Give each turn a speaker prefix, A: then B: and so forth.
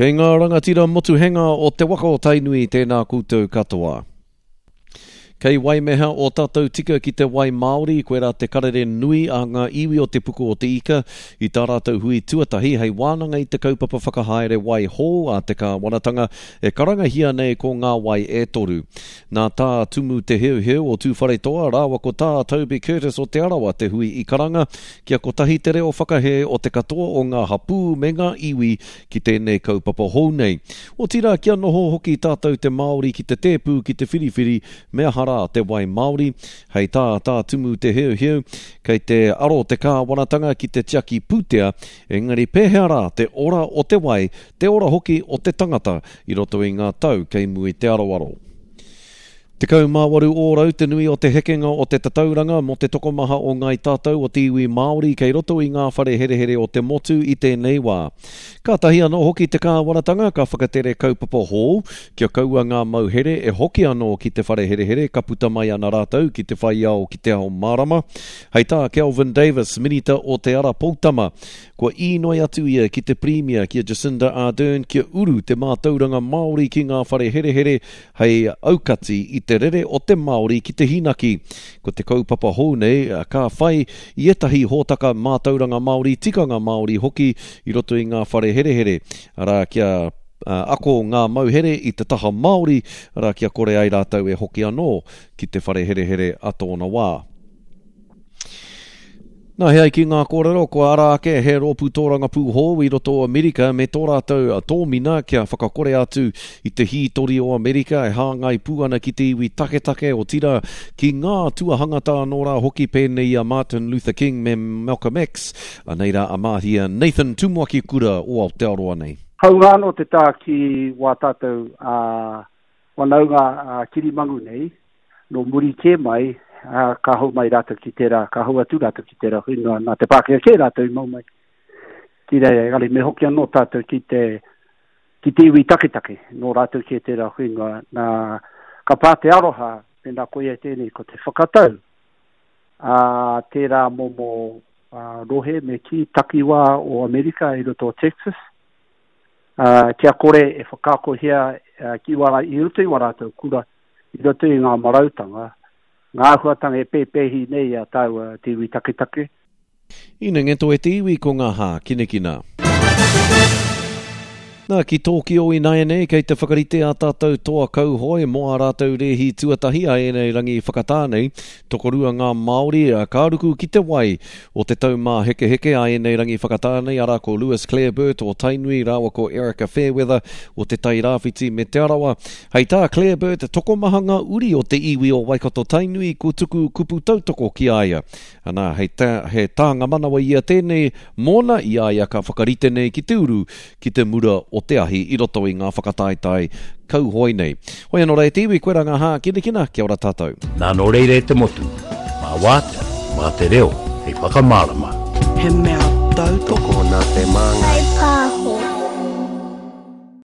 A: Kei ngā rangatira motuhenga o te waka o Tainui tēnā koutou katoa. Kei waimeha o tātou tika ki te wai Māori, koirā te karere nui a ngā iwi o Te Puku o Te Ika i tā rātou hui tuatahi hei wānanga i te kaupapa whakahaere wai hou a te kāwanatanga e karangahia nei ko Ngā Wai e Toru. Nā Tā Tumu Te Heuheu o Tūwharetoa rāua ko Tā Toby Curtis o Te Arawa te hui i karanga kia kotahi te reo whakahē o te katoa o ngā hapū me ngā iwi ki tēnei kaupapa hou nei. Otirā kia noho hoki tātou te Māori ki te tēpū ki te whiriwhiri me aha rā te wai Māori. Hei tā Tā Tumu Te Heuheu, kei te aro te kāwanatanga ki te tiaki pūtea, engari pēhea rā te ora o te wai, te ora hoki o te tangata i roto i ngā tau kei mua i te aroaro. 18 ōrau te nui o te hekenga o te tatauranga mō te tokomaha o ngāi tātou o te iwi Māori kei roto i ngā whare herehere o te motu i tēnei wā. Kātahi anō hoki te kāwanatanga ka whakatere kaupapa hou kia kaua ngā mauhere e hoki anō ki te whare herehere ka puta mai ana rātou ki te whai ao ki te ao mārama. Hei tā Kelvin Davis, Minita o Te Ara Poutama, kua īnoi atu ia ki te Pirimia ki a Jacinda Ardern kia uru te mātauranga Māori ki ngā whare herehere hei aukati i te rere o te Māori ki te hīnaki. Ko te kaupapa hou nei, ka whai i ētahi hōtaka mātauranga Māori, tikanga Māori hoki i roto i ngā whare herehere, arā, kia ako ngā mauhere i te taha Māori, arā, kia kore ai rātou e hoki anō ki te whare herehere a tōna wā. Nā, he ai ki ngā kōrero, kua ara ake he rōpū tōrangapū hou i roto o Amerika me tō rātou tōmina kia whakakore atu i te hītori o Amerika e hāngai pū ana ki te iwi taketake, otirā, ki ngā tuahangata anō rā hoki pēnei i a Martin Luther King me Malcolm X. Anei rā a Māhia Nathan Tumuaki Kura o Aotearoa nei.
B: Hāunga anō te tā ki wā tātou whanaunga kirimangu nei, Nō muri kē mai, ā, ka hou mai rātou ki tērā, ka hou atu rātou ki tērā whenua, nā te Pākehā kē rātou i mau mai ki reira, engari me hoki anō tātou ki te, ki te iwi taketake, nō rātou kē tērā whenua, nā, ka pā te aroha, mēnā koia tēnei, ko te whakatau, ā, tērā momo ā, rohe me kī takiwā o Amerika i roto o Texas, ā, kia kore e whakaakohia ki wā, i roto i wā rātou kura, i roto i ngā marautanga, ngā āhuatanga e pēpēhi nei i a tāua te iwi taketake.
A: Ina ngeto e te iwi ko ngā hākinakina. Nā, ki Tōkio ināianei, kei te whakarite ā tātou toa kauhoe mō ā rātou rēhi tuatahi a ēnei rangi whakatā nei. Tokorua ngā Māori ka ruku ki te wai o te Taumāhekeheke a ēnei rangi whakatā nei, arā ko Lewis Clareburt o Tainui rāua ko Erika Fairweather o Te Tai Rāwhiti me Te Arawa. Hei tā Clareburt, tokomaha ngā uri o te iwi o Waikato-Tainui kua tuku kupu tautoko ki a ia. Anā, hei tā, he tānga manawa ia tēnei mōna i a ia ka whakarite nei ki te uru ki te mura o te ahi i roto i ngā whakataetae kauhoe nei. Hoi anō rā e te iwi, koirā ngā hākinakina, kia ora tātou.
C: Nā nō reira e te motu, mā Wātea, mā te reo hei whakamārama.
D: He mea tautoko.
E: Tokona te māngai.